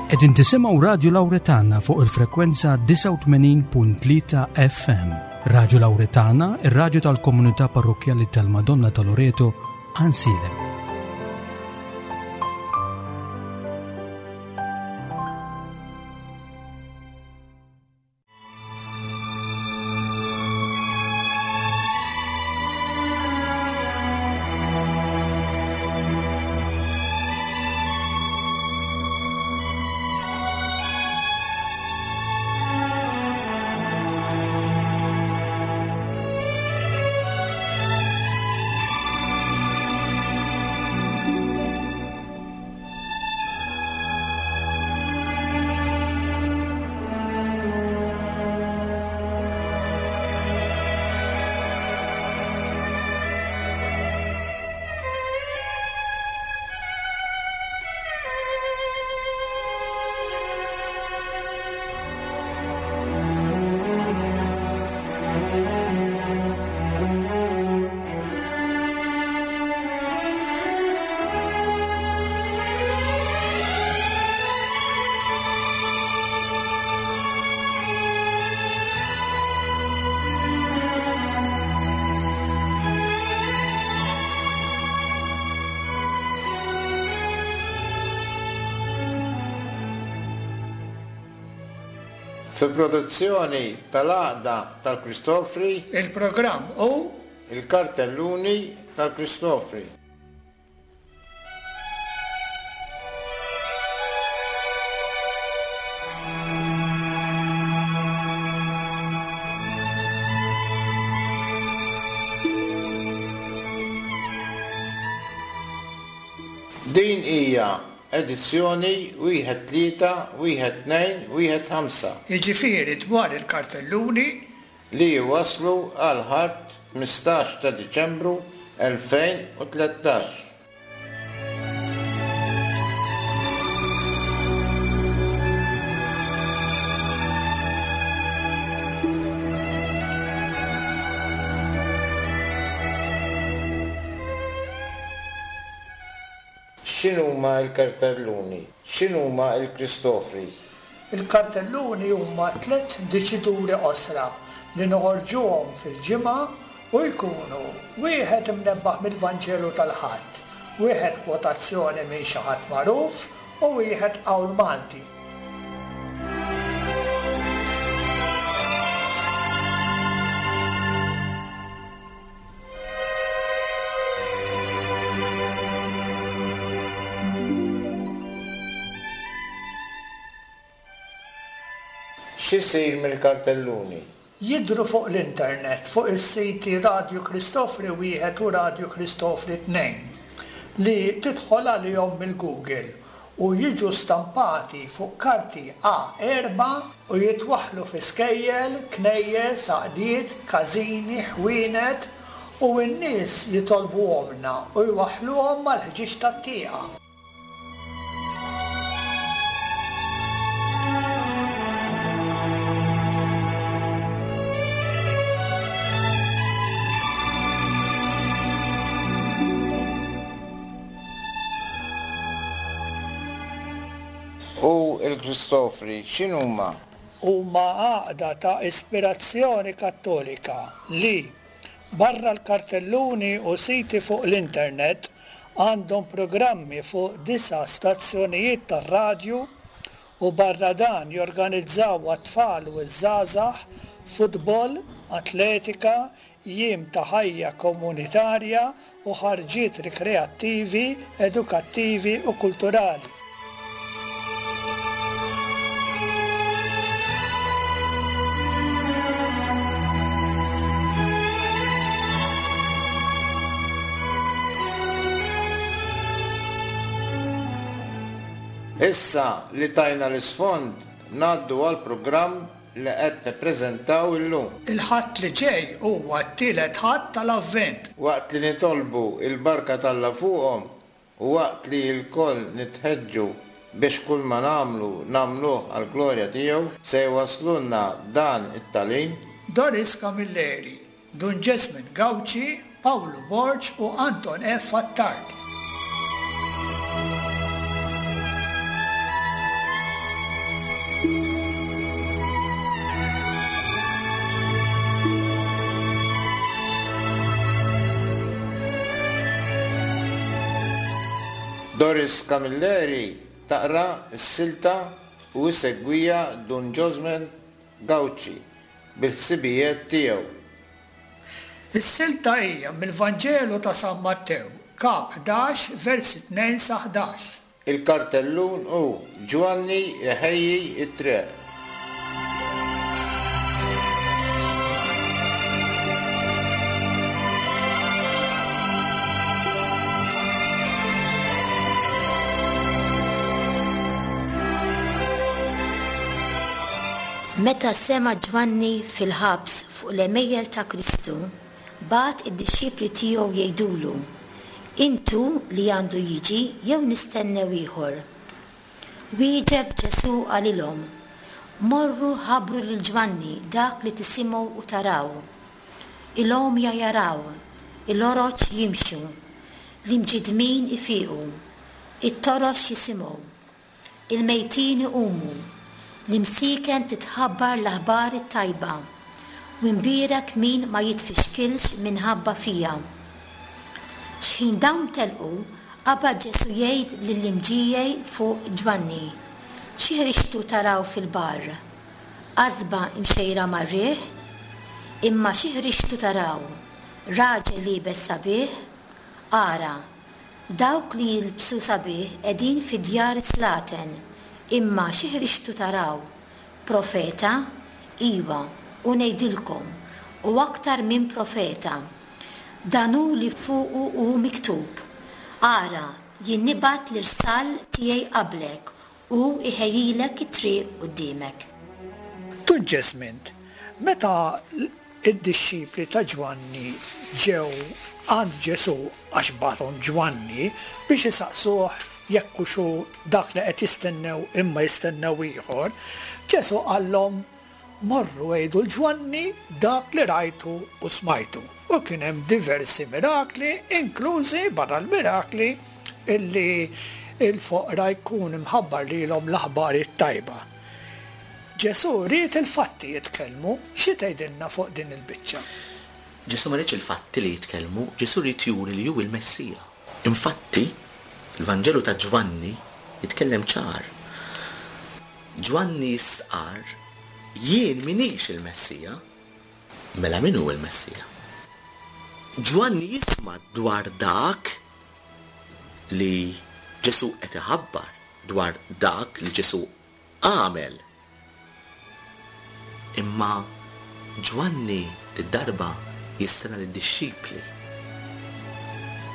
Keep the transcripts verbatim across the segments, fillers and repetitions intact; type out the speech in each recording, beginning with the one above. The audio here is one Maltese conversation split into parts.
Qegħdin tisimgħu Radju Lawretana fuq il-frekwenza disgħa u tmenin punt tlieta F M. Radju Lawretana, ir-radju tal-komunità parrokkjali tal-Madonna ta' Loreto, Għajnsielem. Fi produzzjoni tal-Għaqda tal-Kristofri, il-programm hu il-kartelluni tal-Kristofri. Din hija edizzjoni wieħed tlieta, wieħed tnejn, wieħed ħamsa. Jiġifieri dwar il-kartelluni li waslu għal Ħadd ħmistax ta' Diċembru elfejn u tlettax. X'inhuma l-kartelluni? X'inhuma l-Kristofri? Il-kartelluni huma tliet diċituri qosra li noħorġuhom fil-ġimgħa u jkunu wieħed imnebbaħ mill-Vanġelu tal-Ħadd, wieħed kwotazzjoni minn xi ħadd magħruf u wieħed qawl Malti. X'isir mill-kartelluni? Jidhru fuq l-internet fuq is-siti Radju Kristofri wieħed u Radju Kristofri tnejn li tidħol għalihom mill-Google u jiġu stampati fuq karti A erba' u jitwaħħlu fi skejjel, knejjes, għaqdiet, każini, ħwienet u n-nies jitolbuhomna u jwaħħluhom mal-ħġieġ tat-tieqa. U l-Kristofri x'inhuma? Huma għaqda ta' ispirazzjoni kattolika li, barra l-kartelluni u siti fuq l-internet, għandhom programmi fuq disa' stazzjonijiet tar-radju u barra dan jorganizzaw għat-tfal u ż-żgħażagħ futbol, atletika, jiem ta' ħajja komunitarja u ħarġiet rikreattivi, edukattivi u kulturali. Issa li tajna l-isfond, ngħaddu għal programm li qed nippreżentaw illum. Il-Ħadd li ġej huwa t-tielet Ħadd tal-Avvent. Waqt li nitolbu il-barka t'Alla fuqhom u waqt li lkoll nitħeġġu biex kull ma nagħmlu nagħmluh għall-glorja tiegħu, se jwaslulna dan it-tagħlim Doris Camilleri, Dun Jesmond Gauci, Pawlu Borg u Anton F. Attard. Doris Camilleri taqra s-silta u jsegwiha Dun Josman Gauci bil-ħsibijiet tiegħu. Is-silta hija mill-Vanġelu ta' San Mattew, kap ħdax, versi tnejn sa ħdax. Il-kartellun hu Ġwanni iħejji t-triq. Meta sema' Ġwanni fil-ħabs fuq l-għemejjel ta' Kristu, bagħat id-dixxipli tiegħu jgħidulu: Int hu li għandu jiġi jew nistennew ieħor? Wieġeb Ġesù qalilhom: Morru ħabbru lil Ġwanni dak li tisimgħu u taraw. Il-għomja jaraw, il-oroġ jimxu, l-imġiddmin ifiqu, it-torox jisimgħu, il-mejtin iqumu, l-imsieken titħabbar l-aħbar it-tajba, u mbierek min ma jitfixkilx minħabba fija. X'ħin dawn telqu, qabad Ġesù jgħid lill-imġiegħi fuq Ġwanni: Xi ħriġtu taraw fil-barr? Qasba imxejra mar-riħ? Imma xi ħriġtu taraw? Raġel liebes sabiħ? Ara, dawk li jilbsu sabiħ qegħdin fi djar slaten. Imma xi ħriġtu taraw? Profeta? Iwa, u ngħidilkom, u aktar minn profeta. Dan hu li fuqu hu miktub: Ara, jien nibgħat l-irsal tiegħi qablek u iħejjilek it-triq quddiemek. Dun Jesmond, meta id-dixxipli ta' Ġwanni ġew għand Ġesù għax bagħathom Ġwanni biex isaqsuh jekk hux hu dak li qed jistennew imma jistennew ieħor, Ġesù qallhom: Morru għidu l Ġwanni dak li rajtu u smajtu. U kien hemm diversi mirakli, inklużi barra l-mirakli illi il-foqra jkun imħabbar lilhom l-aħbar it-tajba. Ġesù ried il-fatti jitkellmu, xi tgħidilna fuq din il-biċċa? Ġesù ma riedx il-fatti li jitkellmu, Ġesù ried juri li hu il-Messija. Infatti, il-Vanġelu ta' Ġwanni jitkellem ċar. Ġwanni jistqarr: Jien minix il-Messija. Mela min hu il-Messija? Ġwanni jisma' dwar dak li Ġesù qed iħabbar, dwar dak li Ġesù għamel. Imma Ġwanni d-darba jistenna lid-dixxipli.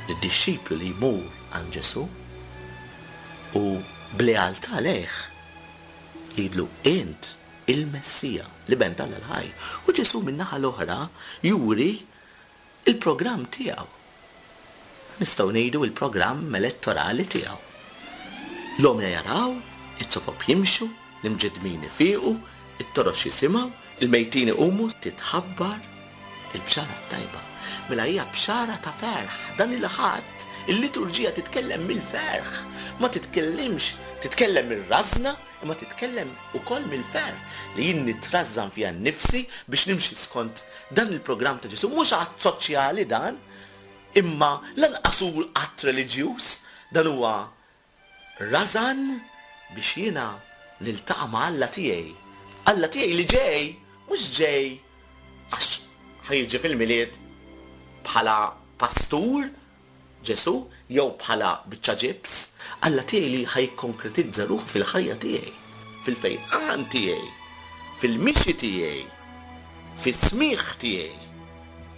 Lid-dixxiplu li jmur għand Ġesù u b'lealtà lejh jgħidlu: Int il-Messija, l-Iben t'Alla l-ħaj. U Ġesù min-naħa l-oħra juri il-programm tiegħu. Nistgħu ngħidu il-programm elettorali tiegħu. L-għomja jaraw, it-sopop jimxu, l-imġiddmin ifiqu, it-torox jisimgħu, il-mejtin iqumu, titħabbar il-bxara t-tajba. Mela hija bxara ta' ferħ. Dan il-Ħadd il-liturġija titkellem mill-ferħ, ma titkellimx, titkellem mir-rażna, imma titkellem ukoll mill-ferħ li jien nitrażżan fija nnifsi biex nimxi skont dan il-programm ta' Ġesù. Mhux att soċjali dan, imma lanqas hu att reliġjuż, dan huwa rażan biex jiena niltaqa' ma' Alla tiegħi. Alla tiegħi li ġej, mhux ġej għax ħajġi fil-Milied bħala pastur Ġesù jew bħala biċċa ġibs, Alla tiegħi li ħajkonkretizza ruħu fil-ħajja tiegħi, fil-fejqan tiegħi, fil-mixi tiegħi, fis-smigħ tiegħi,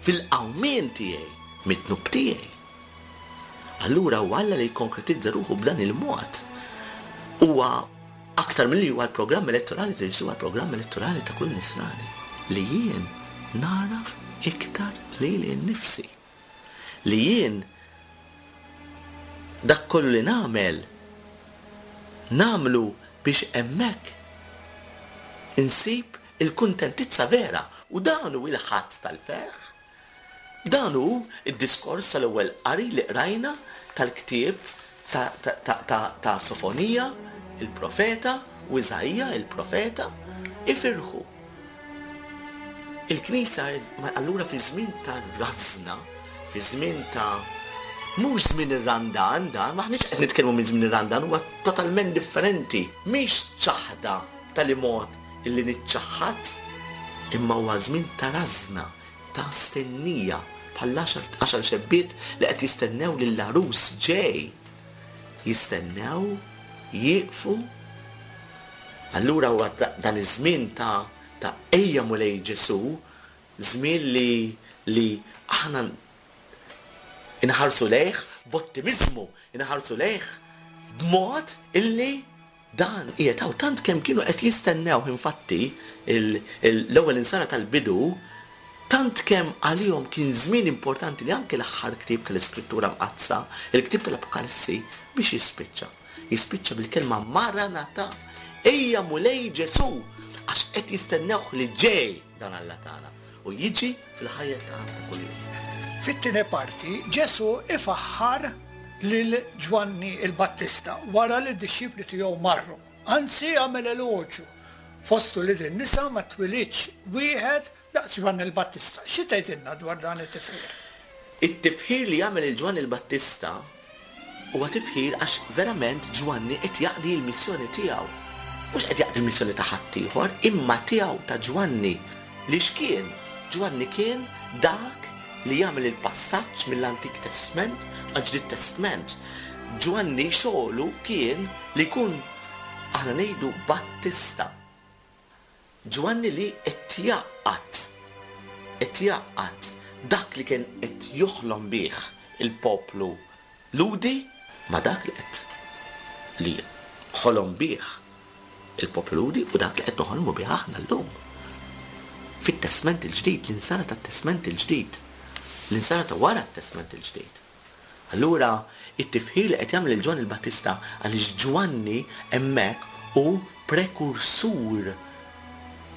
fil-qawmien tiegħi, mid-dnub tiegħi. Allura huwa Alla li jkonkretizza ruħu b'dan il-mod. Huwa aktar milli huwa l-programm elettorali ta' Ġesù, huwa l-programm elettorali ta' kull nisrani li jien naraf iktar lili nnifsi, li jien dak kollu li nagħmel nagħmlu biex hemmhekk insib il-kuntentizza vera. U dan hu il-Ħadd tal-ferħ. Dan hu id-diskors tal-ewwel qari li qrajna tal-ktieb ta', ta', ta', ta', ta' Sofonija, il-profeta, u Iżaija, il-profeta, ifirħu. Il-Knisja, allura fi żmien ta' rażna, fi żmien ta' Mhux żmien ir-Randan dan, m'aħniex qed nitkellmu minn żmien ir-Randan, huwa totalment differenti. Mhix ċaħda tali mod illi niċċaħħad, imma huwa żmien ta' rażna, ta' stennija, bħal għaxar xebbiet li qed jistennew lill-għarus ġej. Jistennew, jieqfu. Allura huwa dan iż-żmien ta' ta' ejja Mulej Ġesu, żmien li li aħna inħarsu lejh b'ottimiżmu, inħarsu lejh b'mod illi dan qiegħed hawn. Tant kemm kienu qed jistennew, infatti, l-ewwel insara tal-bidu, tant kemm għalihom kien żmien importanti li anke l-aħħar ktieb tal-Iskrittura Mqaddsa, il-ktieb tal-Apokalissi, biex jispiċċa. Jispiċċa bil-kelma Maranatha, ejja Mulej Ġesu, għax qed jistennewh li ġej dan Alla tagħna u jiġi fil-ħajja tagħna ta' kuljum. Fit-tieni parti, Ġesu ifaħħar lil Ġwanni il-Battista wara li d-dixxipli tiegħu marru. Anzi għamel eloġju fostu li din nisa ma twilidx wieħed daqs Ġwanni il-Battista. Xi tgħidilna dwar dan it-tifħir? It-tifħir li jagħmel il Ġwanni il-Battista huwa tifħir għax verament Ġwanni qed jaqdi l-missjoni tiegħu. Mhux qed jaqdi l-missjoni ta' ħaddieħor, imma tiegħu ta' Ġwanni. Li x'kien? Ġwanni kien dak li jagħmel il-passaġġ mill-Antik Testament għal-Ġdid Testament. Ġwanni xogħlu kien li jkun, aħna ngħidu, Battista. Ġwanni li qed jgħaqqad, qed jgħaqqad dak li kien qed joħlom bih il-poplu Lhudi ma dak li qed li ħolom bih il-poplu Lhudi u dak li qed noħolmu bih aħna llum. Fit-Testament il-Ġdid, l-insara tat-Testament il-Ġdid, l-insara ta' wara t-Testament il-Ġdid. Allura, it-tifħir li qed jagħmel il Ġwanni il-Battista għaliex Ġwanni hemmhekk hu prekursur.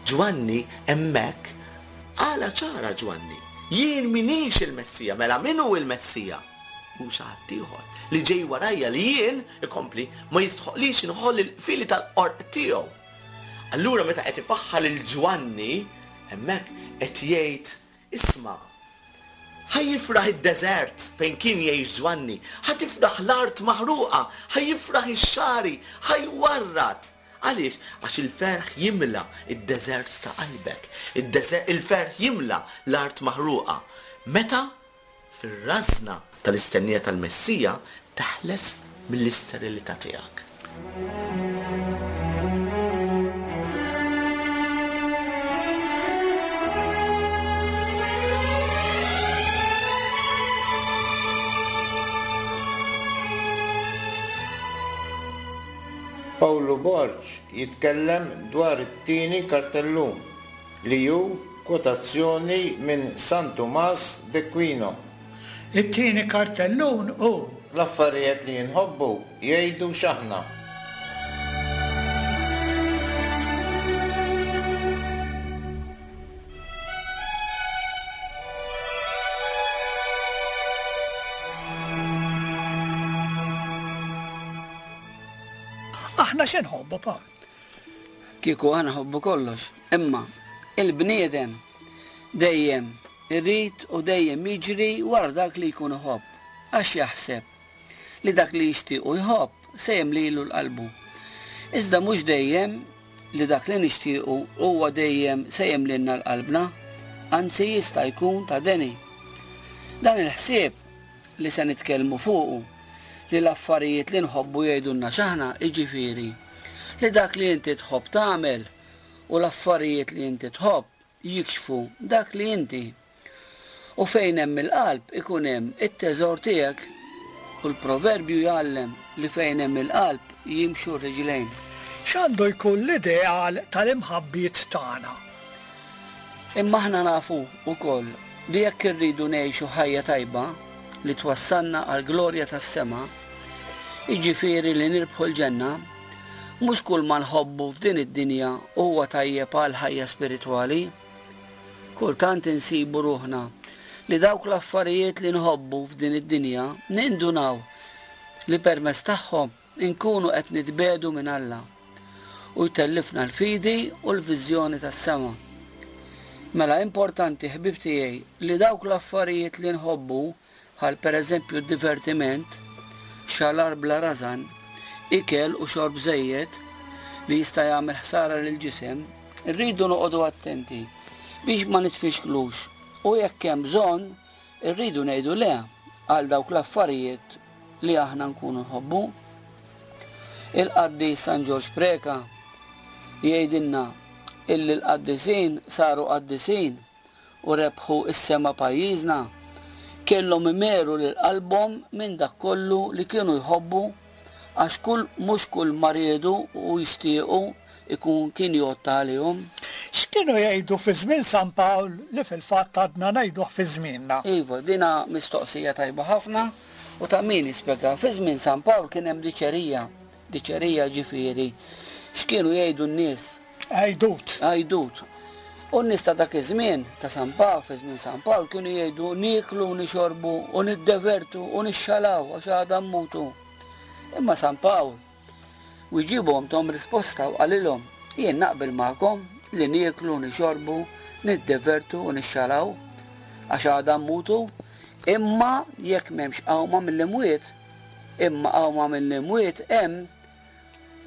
Ġwanni hemmhekk għala ċara Ġwanni, jien minix il-Messija, mela min hu il-Messija? Hu xi ħadd ieħor li ġej warajja li jien ikompli ma jistħoqlix inħoll il-qfieli tal-qorq tiegħu. Allura meta qed ifaħħar lil Ġwanni hemmhekk qed jgħid, isma', ħa jifraħ id-deżert fejn kien jgħix Ġwanni, ħa tifraħ l-art maħruqa, ħa jifraħ ix-xagħri, ħa jwarrad. Għaliex? Għax il-ferħ jimla id-deżert ta' qalbek, il-ferħ jimla l-art maħruqa. Meta? Fir-rażna tal-istennija tal-Messija teħles mill-isterilità tiegħek. Pawlu Borg jitkellem dwar it-tieni kartellun li hu kwotazzjoni minn San Tumas d'Aquino. It-tieni kartellun hu l-affarijiet li nħobbu jgħidu x'aħna. Aħna xi nħobbu, Pawl? Kieku aħna nħobbu kollox, imma il-bniedem dejjem irrid u dejjem jiġri wara dak li jkun iħobb, għax jaħseb li dak li jixtieq u jħobb se jemlilu l-qalbu. Iżda mhux dejjem li dak li nixtiequ huwa dejjem se jemlilna l-qalbna, anzi jista' jkun ta' deni. Dan il-ħsieb li se nitkellmu fuqu, li l-affarijiet li nħobbu jgħidulna x'aħna, jiġifieri li dak li inti tħobb tagħmel u l-affarijiet li inti tħobb jikxfu dak li inti. U fejn hemm il-qalb ikun hemm it-teżor tiegħek, u l-proverbju jgħallem li fejn hemm il-qalb jimxu r-riġlejn. X'għandu jkun l-ideal tal-imħabbiet tagħna? Imma aħna nafu wkoll li jekk irridu ngħixu ħajja tajba li twassalna għall-glorja tas-sema, jiġifieri li nirbħu l-ġenna, mhux kull ma nħobbu f'din id-dinja huwa tajjeb għal ħajja spiritwali. Kultant insibu ruħna li dawk l-affarijiet li nħobbu f'din id-dinja nindunaw li permezz tagħhom inkunu qed nitbedu minn Alla u jtellifna l-fidi u l-viżjoni tas-sema. Mela importanti, ħbib tiegħi, li dawk l-affarijiet li nħobbu bħal pereżempju d-divertiment, xalar bla rażan, ikel u xorb żejjed li jista' jagħmel ħsara lill-ġisem, irridu noqogħdu attenti biex ma nitfixklux u jekk hemm bżonn irridu ngħidu le għal dawk l-affarijiet li aħna nkunu nħobbu. Il-qaddis San Ġorġ Preca jgħidilna illi l-qaddisin saru qaddisin u rebħu s-sema pajjiżna, kellhom imeru lil qalbhom minn dak kollu li kienu jħobbu għax kull mhux kull ma riedu u jixtiequ ikun kien jgħodd għalihom. X'kienu jgħidu fi żmien San Pawl li fil-fatt għadna ngħiduh fi żmienna? Iva, dina mistoqsija tajba ħafna u ta' min jispjega. Fi żmien San Pawl kien hemm diċerija, diċerija ġifieri. X'kienu jgħidu n-nies? Għajdut. Għajdut. U n-nies ta' dak iż-żmien ta' San Pawl, fi żmien San Pawl, kienu jgħidu nieklu u nixorbu u niddevertu u nixxalaw għax għada mmutu. Imma San Pawl wieġibhom tahom risposta u qalilhom, jien naqbel magħkom li nieklu, nixorbu, niddevertu u nixxalaw għax għada mmutu, imma jekk m'hemmx qawma mill-imwiet, imma qawma mill-imwiet hemm,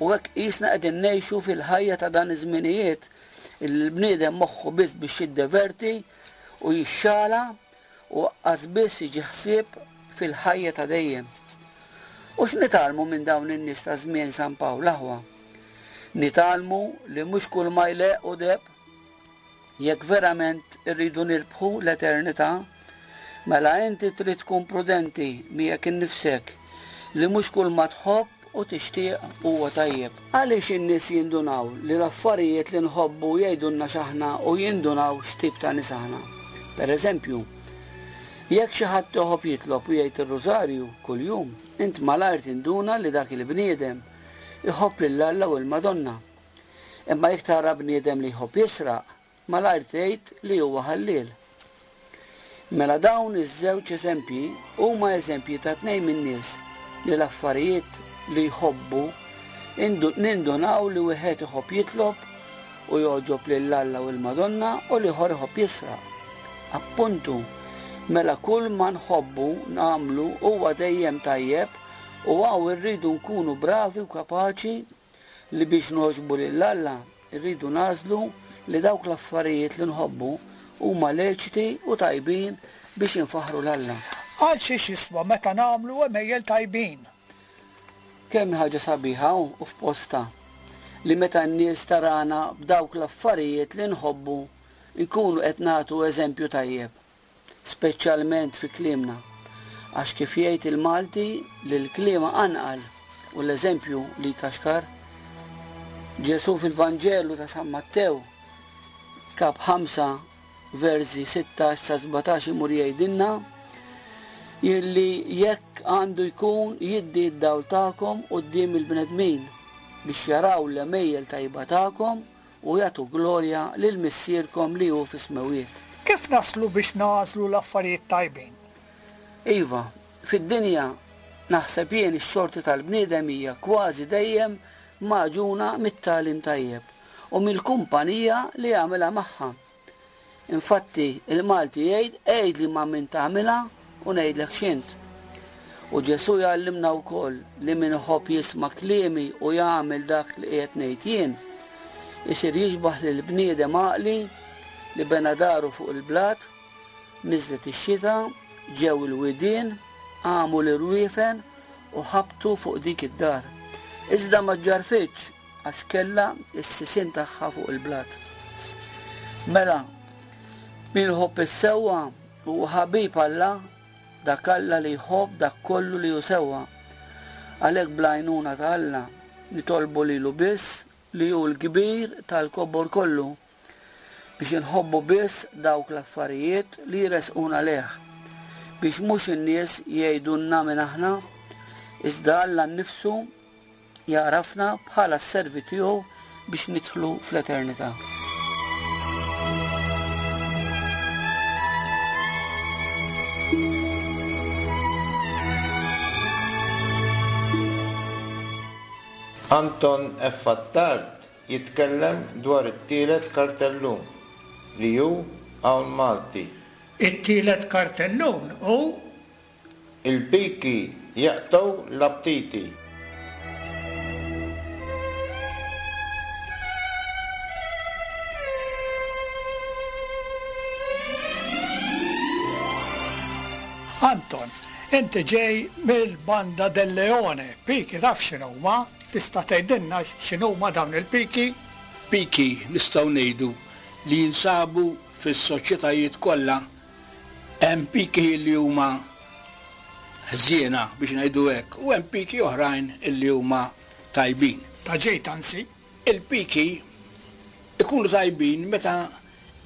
u hekk qisna qegħdin ngħixu fil-ħajja ta' dan iż-żminijiet illi l-bniedem moħħu biss biex jiddeverti u jixxala u aqqas biss jiġi ħsieb fil-ħajja ta' dejjem. U x'nitgħallmu minn dawn in-nies ta' żmien San Pawl aħwa? Nitgħallmu li mhux kull ma jleq u deb, jekk verament irridu nirbħu l-eternità, mela inti trid tkun prudenti miegħek innifsek li mhux kull ma tħobb u tixtieq huwa tajjeb. Għaliex in-nies jindunaw li l-affarijiet li nħobbu jgħidulna x'aħna u jindunaw x'tip ta' nies aħna. Per eżempju, jekk xi ħadd iħobb jitlob u jgħid ir-rużarju kuljum, int malajr tinduna li dak il-bniedem iħobb lil Alla u l-Madonna. Imma jekk tara bniedem li jħobb jisraq, malajr tgħid li huwa ħalliel. Mela dawn iż-żewġ eżempji huma eżempji ta' tnejn min-nies li l-affarijiet li jħobbu nindunaw li wieħed iħobb jitlob u jogħġob lil Alla u l-Madonna u l-ieħor iħobb jisraq. Appuntu, mela kull ma nħobbu nagħmlu huwa dejjem tajjeb u hawn irridu nkunu bravi u kapaċi li biex nogħġbu lil Alla irridu nagħżlu li dawk l-affarijiet li nħobbu huma leċiti u tajbin biex infaħħru 'l Alla. Għal xiex jiswa meta nagħmlu għemejjel tajbin? Kemm ħaġa sabiħa u f'posta li meta n-nies tarana b'dawk l-affarijiet li nħobbu nkunu qed nagħtu eżempju tajjeb, speċjalment fi kliemna, għax kif jgħid il-Malti li l-kliema anqal u l-eżempju li jkaxkar. Ġesu fil-Vanġelu ta' San Mattew, kap ħamsa, versi sittax sa sbatax imur jgħidilna illi jekk għandu jkun jiddi d-dawl tagħkom quddiem il-bnedmin biex jaraw l-għemejjel tajba tagħkom u jagħtu glorja lil Missierkom li hu fis-smewwiet. Kif naslu biex nagħżlu l-affarijiet tajbin? Iva, fid-dinja naħseb jien ix-xorti tal-bniedem hija kważi dejjem magħġuna mit-tagħlim tajjeb u mill-kumpanija li jagħmilha magħha. Infatti, il-Malti jgħid, għid li ma' min tagħmilha u ngħidlek x'int. U Ġesu jgħallimna wkoll li min iħobb jisma' kliemi u jagħmel dak li qiegħed ngħid jien, isir jixbaħ lil bniedem għaqli li bena daru fuq il-blat, niżlet ix-xita, ġew il-widien, għamu l-irwiefen u ħabtu fuq dik id-dar. Iżda ma ġarfitx għax kellha s-sisien tagħha fuq il-blat. Mela, min iħobb is-sewwa huwa ħabib Alla, dak Alla li jħobb dak kollu li hu sewwa. Għalhekk bl-għajnuna ta' Alla nitolbu lilu biss li hu l-kbir tal-kobor kollu biex inħobbu biss dawk l-affarijiet li jresquna lejh, biex mhux in-nies jgħidulna minn aħna, iżda Alla nnifsu jarafna bħala s-servi tiegħu biex nidħlu fl-eternità. Anton F. Attard jitkellem dwar it-tielet kartellun li hu hawn Malti. It-tielet kartellun hu Il-piki jaqtgħu l-aptiti. Anton, inti ġej mill-Banda del Leone, piki taf x'inhuma? Tista' tgħidilna x'inhuma dawn il-piki? Piki nistgħu ngħidu li jinsabu fis-soċjetajiet kollha. Hemm piki li huma ħżiena biex ngħidu hekk u hemm piki oħrajn illi huma tajbin. Ta' ġejt anzi. Il-piki ikunu tajbin meta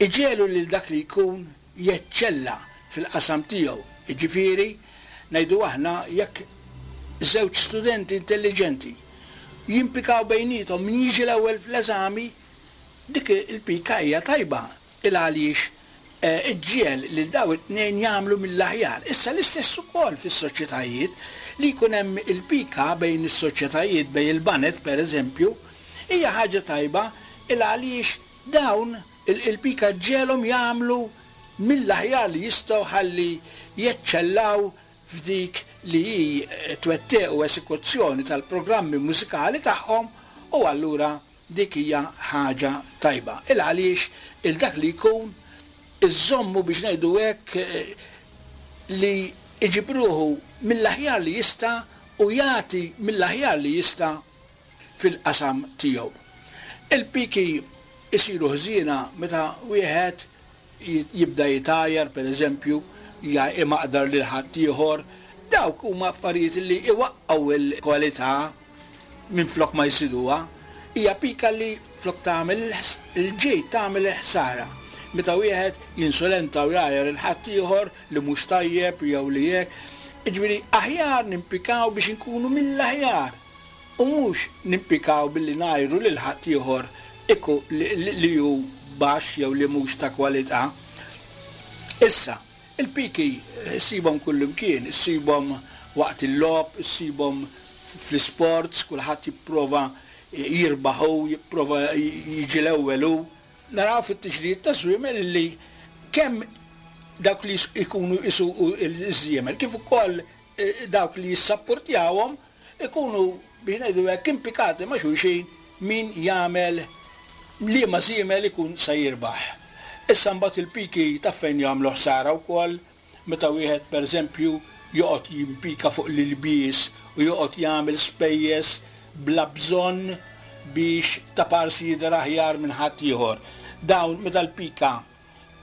iġegħlu lil dak li jkun jeċċella fil-qasam tiegħu. Jiġifieri, ngħidu aħna jekk żewġ studenti intelliġenti jimpikaw bejniethom min jiġi l-ewwel fl-eżami, dik il-pika hija tajba il għaliex iġġiegħel lil daw it-tnejn jagħmlu mill-aħjar. Issa l-istess ukoll fis-soċjetajiet li jkun hemm il-pika bejn is-soċjetajiet, bejn il-banet pereżempju, hija ħaġa tajba il għaliex dawn il-pika ġġegħelhom jagħmlu mill-aħjar li jistgħu ħalli jeċċellaw f'dik li hi twettiq u esekuzzjoni tal-programmi mużikali tagħhom, u allura dik hija ħaġa tajba. Il għaliex il dak li jkun iżommu biex ngħidu hekk li iġibruhu mill-aħjar li jista' u jagħti mill-aħjar li jista' fil-qasam tiegħu. Il-piki isiru ħżiena meta wieħed jibda jitajar, per eżempju, imaqdar lil ħaddieħor. Dawk huma affarijiet li iwaqqgħu l-kwalità minflok ma jsiduha. Hija pika li flok tagħmel il-ġid tagħmel il-ħsara. Meta wieħed jinsulenta u jgħajjar il ħaddieħor li mhux tajjeb jew li hekk. Jiġifieri aħjar nimpikaw biex inkunu mill-aħjar u mhux nimpikaw billi ngħajru lil ħaddieħor iku li hu baxx jew li mhux ta' kwalità. Issa, il-piki ssibhom kullimkien, issibhom waqt il-logħob, issibhom fl-isports, kulħadd jipprova jirbaħ hu, jipprova jiġi l-ewwel hu. Naraw fit-tiġrijiet ta' żwiemel li kemm dawk li jkunu jsuqu ż-żwiemel kif ukoll dawk li jissapportjawhom ikunu biex ngħidu hekk impikati ma' xulxin min jagħmel liema żiemel ikun se jirbaħ. Issa mbagħad il-piki taf fejn jagħmlu ħsara wkoll, meta wieħed pereżempju joqgħod jimpika fuq l-ilbies u joqgħod jagħmel spejjeż bla bżonn biex ta' parsi jidher aħjar minn ħadd ieħor. Dawn meta l-pika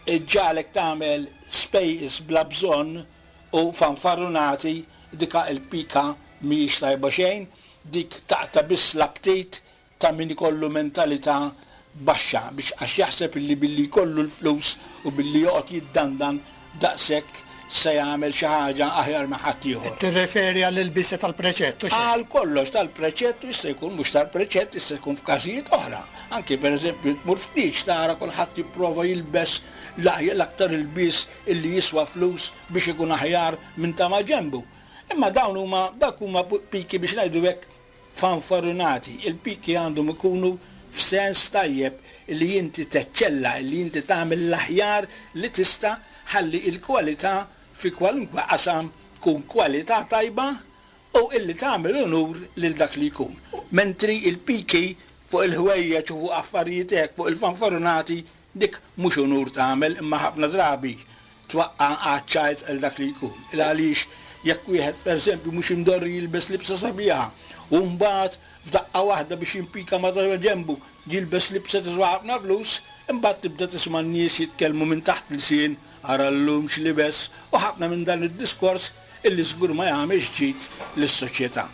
ġġagħlek tagħmel spejjeż bla bżonn u fanfarunati, dika l-pika mhijiex tajba xejn, dik taqta' biss l-aptit ta' min ikollu mentalità baxxa biex għax jaħseb illi billi jkollu l-flus u billi joqgħod jiddandan daqshekk se jagħmel xi ħaġa aħjar minn ħadd ieħor. Tirreferi għall-ilbiesi tal-preċett u xejn? Għal kollox tal-preċett, jista' jkun mhux tal-preċett, jista' jkun f'każijiet oħra. Anki pereżempju tmur ftit tara kulħadd jipprova jilbes l-aktar ilbies illi jiswa flus biex ikun aħjar minn ta' ma' ġenbu. Imma dawn huma dak huma piki biex ngħidu hekk fanfarunati. Il-piki għandhom ikunu f'sens tajjeb li inti teċċella, li inti tagħmel l-aħjar li tista' ħalli l-kwalità fi kwalunkwe qasam tkun kwalità tajba u illi tagħmel unur lil dak li jkun. Mentri il-piki fuq il-ħwejjeġ u fuq affarijiet hekk, fuq il-fanfarunati, dik mhux unur tagħmel, imma ħafna drabi twaqqa' għaċ-ċajt għal dak li jkun. Il għaliex jekk wieħed pereżempju mhux imdorri jilbes libsa sabiħa u mbagħad f'daqqa waħda biex jimpika ma' ġenbu jilbes libsa tiswa ħafna flus, imbagħad tibda tisma' n-nies jitkellmu minn taħt l-isien, ara llum x'libes, u ħafna minn dan id-diskors illi żgur ma jagħmilx ġid lis-soċjetà.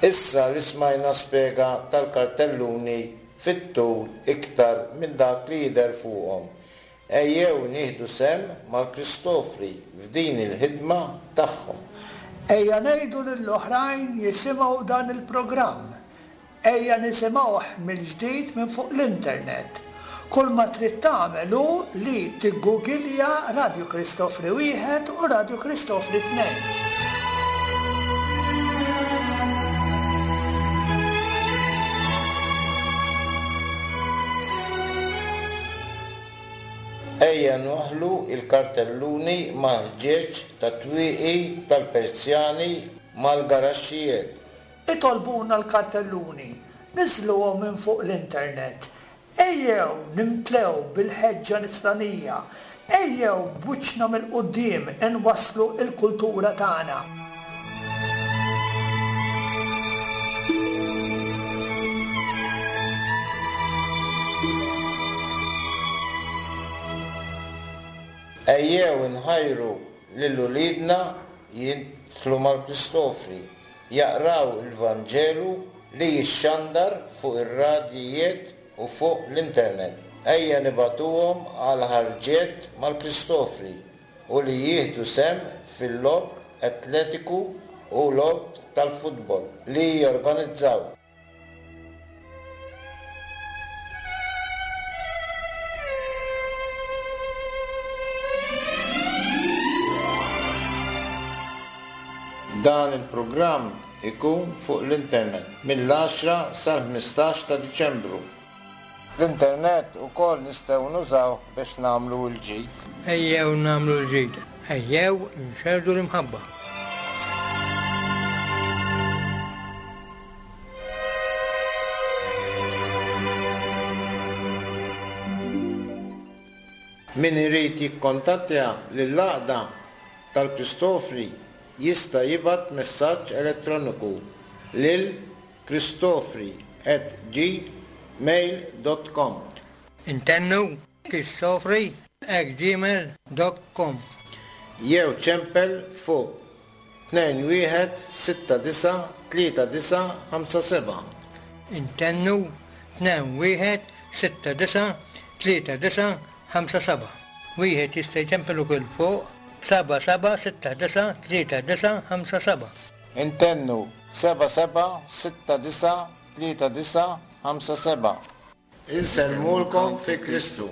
Issa li smajna spjega tal-kartelluni fit-tul iktar minn dak li jidher fuqhom. Ejjew nieħdu sehem mal-Kristofri f'din il-ħidma tagħhom. Ejja ngħidu lill-oħrajn jisimgħu dan il-programm. Ejja nisimgħuh mill-ġdid minn fuq l-internet. Kull ma trid tagħmel hu li tiggugilja Radio Kristofri wieħed u Radio Kristofri tnejn. Ejja nwaħħlu l-kartelluni mal-ħġieġ tat-twieqi tal-Persjani mal-garaxxijiet. Itolbuna l-kartelluni, niżżluhom minn fuq l-internet. Ejjew nimtlew bil-ħeġġa nisranija, ejjew b'wiċċna mill-quddiem inwasslu l-kultura tagħna. Ejjew inħajru lil uliedna jidħlu mal-Kristofri, jaqraw il-Vanġelu li jixxandar fuq ir-radjijiet u fuq l-internet. Ejja nibagħtuhom għal ħarġiet mal-Kristofri u li jieħdu sehem fil-logħob atletiku u logħob tal-futbol li jorganizzaw. Dan il-programm ikun fuq l-internet mill-għaxra sal-ħmistax ta' Diċembru. L-internet ukoll nistgħu nużaw biex nagħmlu l-ġid. Ejjew nagħmlu l-ġid, ejjew nxerrdu l-imħabba. Min irid jikkontattja lill-Għaqda tal-Kristofri jista' jibgħat messaġġ elettroniku lil kristofri at gmail dot com. Intennu kristofri at gmail dot com. Jew ċempel fuq tnejn wieħed sitta disa' tlieta disa' ħamsa seba'. Intennu tnejn wieħed sitta disa' tlieta disa' ħamsa seba'. Wieħed jista' jċempel ukoll fuq seba' seba' sitta disa' tlieta disa' ħamsa seba'. Intennu seba' seba' sitta disa' tlieta disa' ħamsa seba'. Insellmulkom fi Kristu.